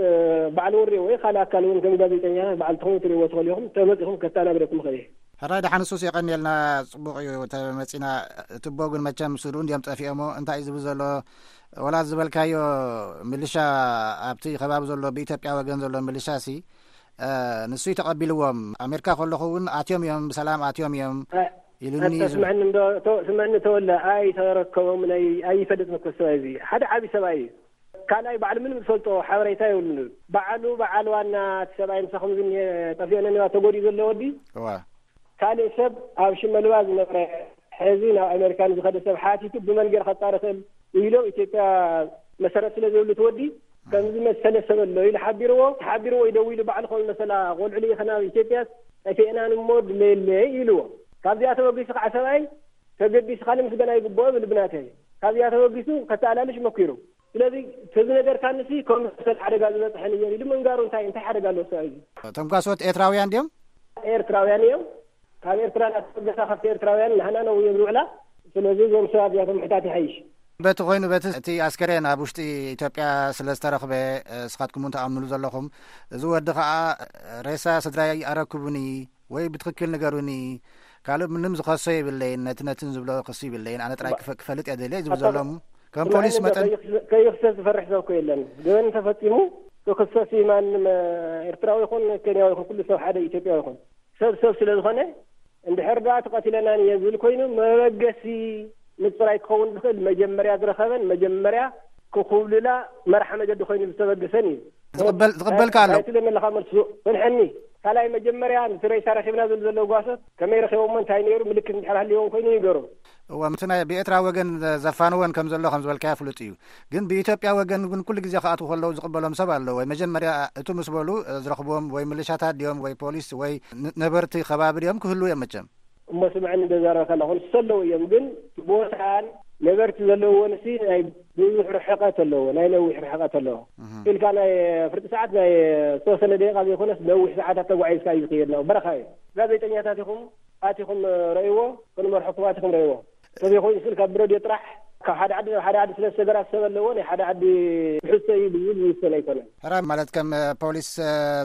ባዕሉ እውን ሪእዎ እዩ። ካልእ ኣካል እውን ከም ጋዜጠኛ ባዕልትኹም ትሪእዎ ትኽእሉ ኢኹም። ተመፂኹም ከተኣናግደኩም ይኽእል እዩ። ሕራይ ደሓን ሱስ የቐንየልና። ፅቡቕ እዩ ተመፂና። ትቦ ግን መቸም ስሉ እንዲዮም ጠፊኦሞ እንታይ እዩ ዝብል ዘሎ? ወላ ዝበልካዮ ምልሻ ኣብቲ ከባቢ ዘሎ ብኢትዮጵያ ወገን ዘሎ ምልሻ ሲ ንሱ ተቐቢልዎም ኣሜሪካ ከለኹ እውን ኣትዮም እዮም ብሰላም ኣትዮም እዮም ኢሉኒ። ስምዕኒ እንዶ ስምዕኒ ተወለ ኣይተረከቦም ናይ ኣይፈልጥ መኮሰባ እዚ ሓደ ዓቢ ሰብኣይ እዩ። ካልኣይ ባዕሉ ምንም ዝፈልጦ ሓበሬታ የብሉን። ባዕሉ በዓል ዋና እቲ ሰብኣይ ምሳኹም ዝኒሀ ጠፊኦ ነኒዋ ተጎዲኡ ዘሎ ወዲ ካልእ ሰብ ኣብ ሽመልባ ዝነበረ ሕዚ ናብ ኣሜሪካ ንዝኸደ ሰብ ሓቲቱ ብመን ገይረ ከጣሪ ክእል ኢሎም ኢትዮጵያ መሰረት ስለ ዘይብሉ እቲ ወዲ ከምዚ መሰለ ሰብ ኣሎ ኢሉ ሓቢርዎ ተሓቢርዎ እዩ ደዊሉ ባዕሉ ከምዚ መሰላ ቆልዑ ልኢኸ ናብ ኢትዮጵያ ጠፊእና ንሞ ድለየለ ኢልዎ። ካብዚኣ ተበጊሱ ከዓ ሰብኣይ ተገዲሱ ካልእ ምስገና ይግብኦ ብል ብናተይ ካብዚኣ ተበጊሱ ከተኣላልሽ መኪሩ ስለዚ ተዚ ነገር ካንሲ ከም መሰል ሓደጋ ዝበፅሐን እየን ኢሉ ምንጋሩ እንታይ እንታይ ሓደጋ ኣለዎ ሰብኣይ እዚ? እቶም ጓሶት ኤርትራውያን ድዮም? ኤርትራውያን እዮም። ካብ ኤርትራ እናተበገሳ ካብቲ ኤርትራውያን ናህና ነው እዮም ዝውዕላ። ስለዚ እዞም ሰባት እዚኣቶም ምሕታት ይሓይሽ። በቲ ኮይኑ በቲ እቲ ኣስከሬን ኣብ ውሽጢ ኢትዮጵያ ስለ ዝተረኽበ እስኻትኩም እውን ትኣምንሉ ዘለኹም እዚ ወዲ ከዓ ሬሳ ስድራይ ኣረክቡኒ ወይ ብትኽክል ንገሩኒ ካልእ ምንም ዝኸሶ የብለይን ነቲ ነትን ዝብሎ ክሲ ይብለይን ኣነ ጥራይ ክፈ- ክፈልጥ እየ ደልየ ዝብል ዘሎ እሞ ከም ፖሊስ መጠን ከይኽሰስ ዝፈርሕ ሰብ እኮ የለን። ገበን ተፈፂሙ ክኽሰስ እዩ ማንም ኤርትራዊ ይኹን ኬንያዊ ይኹን ኩሉ ሰብ ሓደ ኢትዮጵያዊ ይኹን ሰብ ሰብ ስለ ዝኾነ እንድሕር ደኣ ተቐቲለናን እየ ዝብል ኮይኑ መበገሲ ምፅራይ ክኸውን ዝኽእል መጀመርያ ዝረኸበን መጀመርያ ክኹብልላ መርሓ መገዲ ኮይኑ ዝተበገሰን እዩ። ዝቕበል ዝቕበልካ ኣሎ። ኣይትብለኒ ኣለኻ መልሱ ፍንሐኒ ካልኣይ መጀመርያ ነቲ ሬሳ ረኺብና ዝብሉ ዘለዉ ጓሶት ከመይ ረኺቦሞ እንታይ ነይሩ ምልክት እንድሕር ሃልይዎም ኮይኑ ይንገሩ። እወ እቲ ናይ ብኤርትራ ወገን ዘፋንወን ከም ዘሎ ከም ዝበልካዮ ፍሉጥ እዩ። ግን ብኢትዮጵያ ወገን ግን ኩሉ ግዜ ክኣትዉ ከለዉ ዝቕበሎም ሰብ ኣሎ ወይ መጀመርያ እቱ ምስ በሉ ዝረኽብዎም ወይ ምልሻታት ድዮም ወይ ፖሊስ ወይ ነበርቲ ከባቢ ድዮም ክህልዉ እዮም መቸም። እሞ ስምዐኒ እንዶ ዛረበካ ኣለኹ ንሱ ኣለዉ እዮም ግን ቦታን ነበርቲ ዘለውዎ ንሲ ናይ ብዙሕ ርሕቀት ኣለዎ ናይ ነዊሕ ርሕቀት ኣለዎ ኢልካ ናይ ፍርቂ ሰዓት ናይ ዝተወሰነ ደቂቃ ዘይኮነስ ነዊሕ ሰዓታት ተጓዒዝካ እዩ ዝኽየድ ነው በረኻ እዩ ጋዜጠኛታት ኢኹም ኣቲኹም ረእይዎ ክንመርሐኩም ኣቲኹም ረእይዎ ተዘይኮይኑ ስል ካብ ብረድዮ ጥራሕ ካብ ሓደ ዓዲ ናብ ሓደ ዓዲ ስለ ዝተገራሰበ ኣለዎ ናይ ሓደ ዓዲ ትሕዝቶ እዩ ብዝብል ዝውሰን ኣይኮነን ሕራይ ማለት ከም ፖሊስ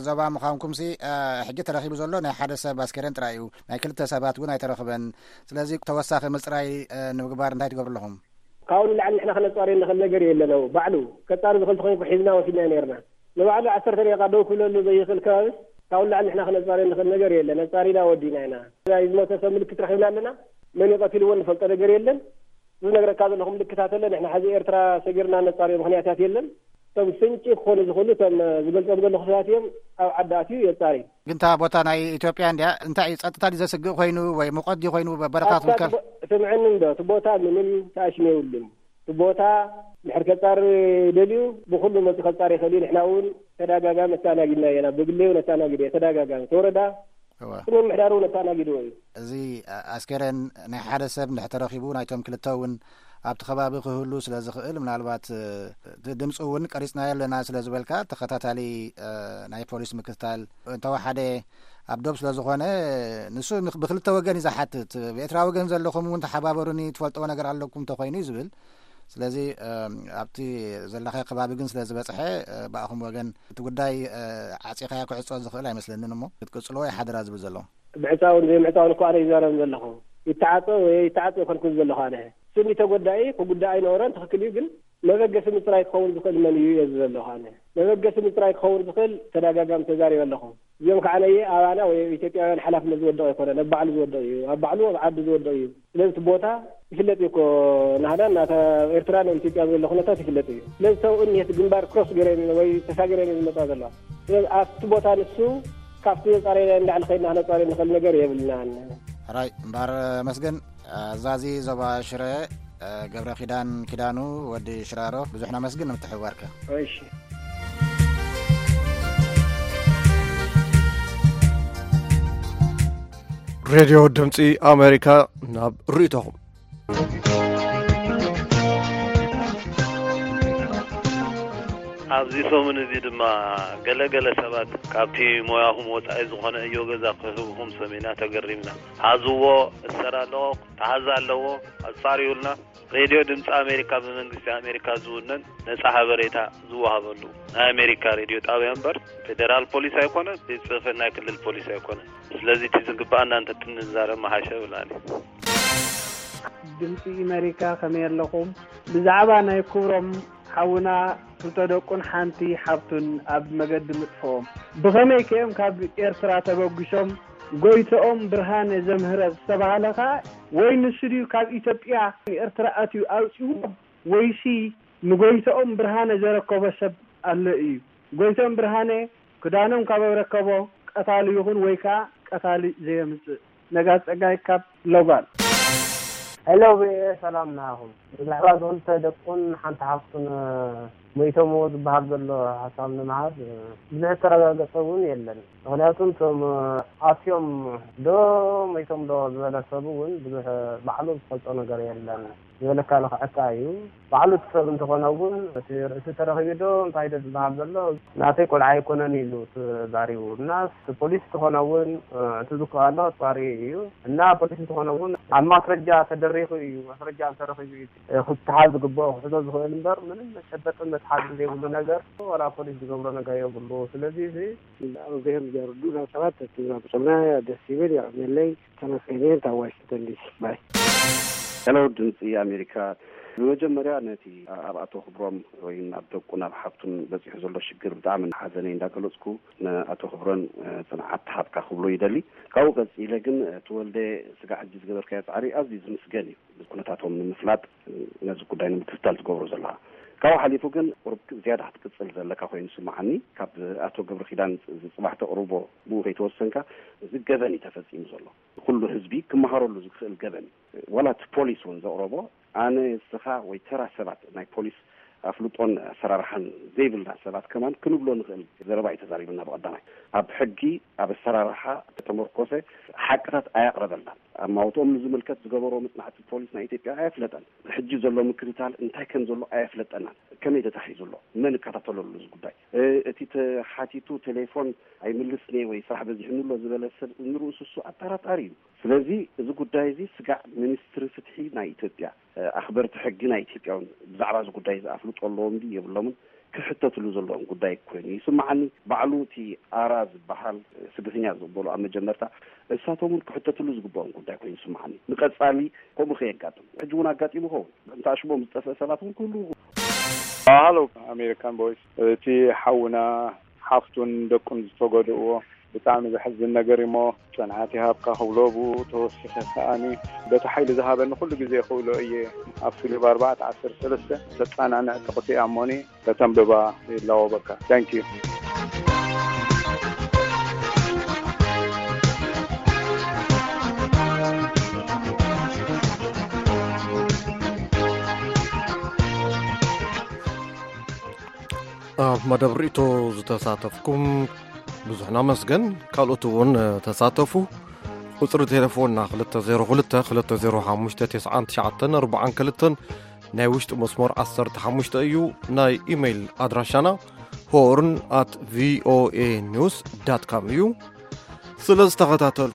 ዞባ ምዃንኩም ሲ ሕጂ ተረኺቡ ዘሎ ናይ ሓደ ሰብ ኣስከሬን ጥራይ እዩ ናይ ክልተ ሰባት እውን ኣይተረኽበን ስለዚ ተወሳኺ ምፅራይ ንምግባር እንታይ ትገብሩ ኣለኹም ካብኡ ንላዕሊ ንሕና ክነፃርዮ ንኽእል ነገር የለን ባዕሉ ከፃሪ ዝኽእል ተኾይኑ ሒዝና ወሲድና ነርና ንባዕሉ ዓሰርተ ደቂቃ ደው ክብለሉ ዘይኽእል ከባቢ ካብኡ ንላዕሊ ንሕና ክነፃርዮ ንኽእል ነገር የለን ኣፃሪና ወዲእና ኢና ናይ ዝሞተ ሰብ ምልክት ረኺብና ኣለና መን እዩ ቀቲልዎ ንፈልጦ ነገር የለን ዝነግረካ ዘለኹ ምልክታት ኣሎ ንሕና ሕዚ ኤርትራ ሰጊርና ነፃርዮ ምኽንያታት የለን እቶም ፍንጪ ክኾኑ ዝኽእሉ እቶም ዝገልፆም ዘለኹ ሰባት እዮም ኣብ ዓዲ ኣትዩ የፃሪ ግን እታ ቦታ ናይ ኢትዮጵያ እንድያ እንታይ እዩ ፀጥታ ድዩ ዘስግእ ኮይኑ ወይ ሙቐት ድዩ ኮይኑ በረኻ ኣታ ትውከል ትቦ- ስምዕኒ እንዶ እቲ ቦታ ምንም ተኣሽም የብሉን እቲ ቦታ ድሕር ከፃሪ ደልዩ ብኩሉ መፂ ከፃሪ ይኽእል እዩ ንሕና እውን ተደጋጋሚ ኣተኣናጊድና እየና ብግለይ እውን ኣተኣናጊደ እየ ተደጋጋሚ እቲ ወረዳ እወ እቲ ምምሕዳር እውን ኣተኣናጊድዎ እዩ እዚ ኣስከሬን ናይ ሓደ ሰብ እንድሕር ተረኺቡ ናይቶም ክልተ እውን ኣብቲ ከባቢ ክህሉ ስለ ዝኽእል ምናልባት እቲ ድምፂ እውን ቀሪፅናዮ ኣለና ስለ ዝበልካ ተኸታታሊ ናይ ፖሊስ ምክትታል እንተወሓደ ኣብ ዶብ ስለ ዝኾነ ንሱ ብክልተ ወገን እዩ ዝሓትት ብኤርትራ ወገን ዘለኹም እውን ተሓባበሩኒ ትፈልጥዎ ነገር ኣለኩም እንተኾይኑ እዩ ዝብል ስለዚ ኣብቲ ዘለኻዮ ከባቢ ግን ስለ ዝበፅሐ ብኣኹም ወገን እቲ ጉዳይ ዓፂኻዮ ክዕፆ ዝኽእል ኣይመስለንን እሞ ክትቅፅልዎ ይሓድራ ዝብል ዘሎ ምዕፃውን ዘይምዕፃውን እኮ ኣነ ይዛረብ ዘለኹ ይተዓፀ ወይ ይተዓፀ ይኮንኩ ዘለኹ ኣነ ስኒ ተጎዳኢ ክጉዳእ ኣይነበሮን ትኽክል እዩ ግን መበገሲ ምፅራይ ክኸውን ዝኽእል መን እዩ እየ ዝብል ዘለኹ ኣነ መበገሲ ምፅራይ ክኸውን ዝኽእል ተደጋጋሚ ተዛሪበ ኣለኹ እዚኦም ከዓ ነየ ኣባና ወይ ኢትዮጵያውያን ሓላፍነት ዝወደቕ ኣይኮነን፣ ኣብ ባዕሉ ዝወደቕ እዩ፣ ኣብ ባዕሉ ኣብ ዓዱ ዝወደቕ እዩ። ስለዚ እቲ ቦታ ይፍለጥ እዩ እኮ፣ ናህዳን ናታ ኤርትራ ናይ ኢትዮጵያ ዘሎ ኩነታት ይፍለጥ እዩ። ስለዚ ሰው እኒሄት ግንባር ክሮስ ገይረን ወይ ተሳገረን እዩ ዝመፃ ዘለዋ። ስለዚ ኣብቲ ቦታ ንሱ ካብቲ ዘፃረየ እንዳዕሊ ከይድና ክነፃረየ ንኽእል ነገር የብልናን። ሕራይ እምበኣር መስገን ኣዛዚ ዞባ ሽረ ገብረ ኪዳን ኪዳኑ ወዲ ሽራሮ ብዙሕ ነመስግን ንምትሕብባርካ። እሺ። ሬድዮ ድምፂ ኣሜሪካ ናብ ርእይቶኹም። ኣብዚ ሰሙን እዚ ድማ ገለ ገለ ሰባት ካብቲ ሞያኹም ወጻኢ ዝኾነ እዮ ገዛ ክህብኹም ሰሚዕና ተገሪምና። ሓዝዎ፣ እሰር ኣለዎ፣ ተሓዝ ኣለዎ፣ ኣጻርዩልና። ሬድዮ ድምፂ ኣሜሪካ ብመንግስቲ ኣሜሪካ ዝውነን ነጻ ሓበሬታ ዝወሃበሉ ናይ ኣሜሪካ ሬድዮ ጣብያ እምበር ፌዴራል ፖሊስ ኣይኮነን፣ ቤት ጽሕፈት ናይ ክልል ፖሊስ ኣይኮነን። ስለዚ እቲ ዝግባኣና እንተትንዛረብ ምሓሸ ብላኒ። ድምፂ ኣሜሪካ ከመይ ኣለኹም? ብዛዕባ ናይ ክብሮም ሓውና ክልተ ደቁን ሓንቲ ሓብቱን ኣብ መገዲ ምጥፍኦም ብኸመይ ከዮም ካብ ኤርትራ ተበጉሶም? ጎይትኦም ብርሃነ ዘምህረት ዝተባህለ ኸኣ ወይ ንሱ ድዩ ካብ ኢትዮጵያ ንኤርትራ ኣትዩ ኣውጺእዎም ወይሲ ንጎይትኦም ብርሃነ ዘረከቦ ሰብ ኣሎ እዩ? ጎይትኦም ብርሃነ ክዳኖም ካብ ኣረከቦ ቀታሊ ይኹን ወይ ከኣ ቀታሊ ዘየምጽእ። ነጋስ ጸጋይ ካብ ሎጋን። ሄሎ ቪኦኤ፣ ሰላም ናኹም። ብዛዕባ ክልተ ደቁን ሓንቲ ሓፍቱን ሞይቶምዎ ዝበሃል ዘሎ ሓሳብ ንምሃብ ብዙሕ እተረጋገጸ እውን የለን። ምኽንያቱ እቶም ኣትዮም ዶ ሞይቶም ዶ ዝበለ ሰብ እውን ብዙሕ ባዕሉ ዝፈልጦ ነገር የለን። ዝበለካ ልኽዐካ እዩ። ባዕሉ እቲ ሰብ እንተኾነ እውን እቲ ርእሲ ተረኺቡ ዶ እንታይ ዶ ዝበሃል ዘሎ፣ ናተይ ቆልዓ ኣይኮነን ኢሉ ተዛሪቡ። እና እቲ ፖሊስ እንተኾነ እውን እቲ ዝከኣሎ ኣጻሪ እዩ። እና ፖሊስ እንተኾነ እውን ኣብ ማስረጃ ተደሪኹ እዩ፣ ማስረጃ እንተረኺቡ እዩ ክትሓዝ ዝግብኦ ክሕዞ ዝኽእል እምበር ምንም መጨበጥን መትሓዝን ዘይብሉ ነገር ዋላ ፖሊስ ዝገብሮ ነገር የብሉ። ስለዚ እዚ ኣብ ብሔር ዘርዱ ናብ ሰባት ተትዛብሶምና ደስ ይብል። የቐንየለይ። ተመስገን እየ ካብ ዋሽንግተን ዲሲ። ባይ። ሄሎ ድምፂ ኣሜሪካ፣ ብመጀመርያ ነቲ ኣብ ኣቶ ክብሮም ወይ ናብ ደቁ ናብ ሓብቱን በፂሑ ዘሎ ሽግር ብጣዕሚ ሓዘነይ እንዳገለፅኩ፣ ንኣቶ ክብሮም ጽንዓት ትሃብካ ክብሎ ይደሊ። ካብኡ ቀፂለ ግን ተወልደ ስጋዕ ሕጂ ዝገበርካዮ ፃዕሪ ኣዝዩ ዝምስገን እዩ። ኩነታቶም ንምፍላጥ ነዚ ጉዳይ ንምክትታል ዝገብሮ ዘለኻ። ካብኡ ሓሊፉ ግን ቁሩብ ዝያዳ ክትቅፅል ዘለካ ኮይኑ ይስምዓኒ። ካብ ኣቶ ገብረ ኪዳን ዝፅባሕ ተቕርቦ ብኡ ከይተወሰንካ፣ እዚ ገበን እዩ ተፈፂሙ ዘሎ። ኩሉ ህዝቢ ክመሃረሉ ዝኽእል ገበን እዩ። ዋላ እቲ ፖሊስ እውን ዘቕረቦ፣ ኣነ፣ ንስኻ ወይ ተራ ሰባት፣ ናይ ፖሊስ ኣፍልጦን ኣሰራርሓን ዘይብልና ሰባት ከማን ክንብሎ ንኽእል ዘረባ እዩ ተዛሪብና። ብቐዳማይ ኣብ ሕጊ፣ ኣብ ኣሰራርሓ ተመርኮሰ ሓቅታት ኣያቕረበልናን። ኣማውትኦም ንዝምልከት ዝገበሮ መጽናዕቲ ፖሊስ ናይ ኢትዮጵያ ኣየፍለጠን። ሕጂ ዘሎ ምክትታል እንታይ ከም ዘሎ ኣየፍለጠናን። ከመይ ተታሒዙ ኣሎ? መን ይከታተለሉ እዚ ጉዳይ? እ፣ እቲ ተሓቲቱ ቴሌፎን ኣይምልስን እየ ወይ ስራሕ በዚሑኒ ኣሎ ዝበለ ሰብ ንርእሱ እሱ ኣጠራጣሪ እዩ። ስለዚ እዚ ጉዳይ እዚ ስጋዕ ሚኒስትሪ ፍትሒ ናይ ኢትዮጵያ፣ እ፣ ኣኽበርቲ ሕጊ ናይ ኢትዮጵያ እውን ብዛዕባ እዚ ጉዳይ እዚ ኣፍልጦ ኣለዎም ድዩ የብሎምን ክሕተትሉ ዘለዎም ጉዳይ ኮይኑ ይስምዓኒ። ባዕሉ እቲ ኣራ ዝበሃል ስደተኛ ዝቕበሉ ኣብ መጀመርታ እሳቶም እውን ክሕተትሉ ዝግብኦም ጉዳይ ኮይኑ ይስምዓኒ። ንቐጻሊ ከምኡ ከየጋጥም፣ ሕጂ እውን ኣጋጢሙ ይኸውን። እንተ ኣሽሞም ዝጠፍአ ሰባት እውን ክህልዉ። ሃሎ ኣሜሪካን ቮይስ፣ እቲ ሓውና ሓፍቱን ደቁን ዝተጎድእዎ ብጣዕሚ ዘሕዝን ነገር እዩሞ፣ ጽንዓት ይሃብካ ክብሎ ብኡ ተወሲኸ ከኣኒ በቲ ሓይሊ ዝሃበኒ ኩሉ ግዜ ክብሎ እየ። ኣብ ስሉብ ኣርባዕተ ዓሰርተ ሰለስተ ዘጸናንዕ ጥቕሲ እያ እሞኒ ከተንብባ ይላወበካ። Thank you። ኣብ መደብ ርእይቶ ዝተሳተፍኩም ብዙሕ ነመስግን። ካልኦት እውን ተሳተፉ። ቁጽሪ ቴሌፎንና ክልተ ዜሮ ክልተ፣ ክልተ ዜሮ ሓሙሽተ፣ ተስዓን ትሽዓተን ኣርባዓን ክልተን፣ ናይ ውሽጢ መስመር ዓሰርተ ሓሙሽተ እዩ። ናይ ኢሜይል ኣድራሻና ሆርን ኣት ቪኦኤ ኒውስ ዳት ካም እዩ። ስለ ዝተኸታተል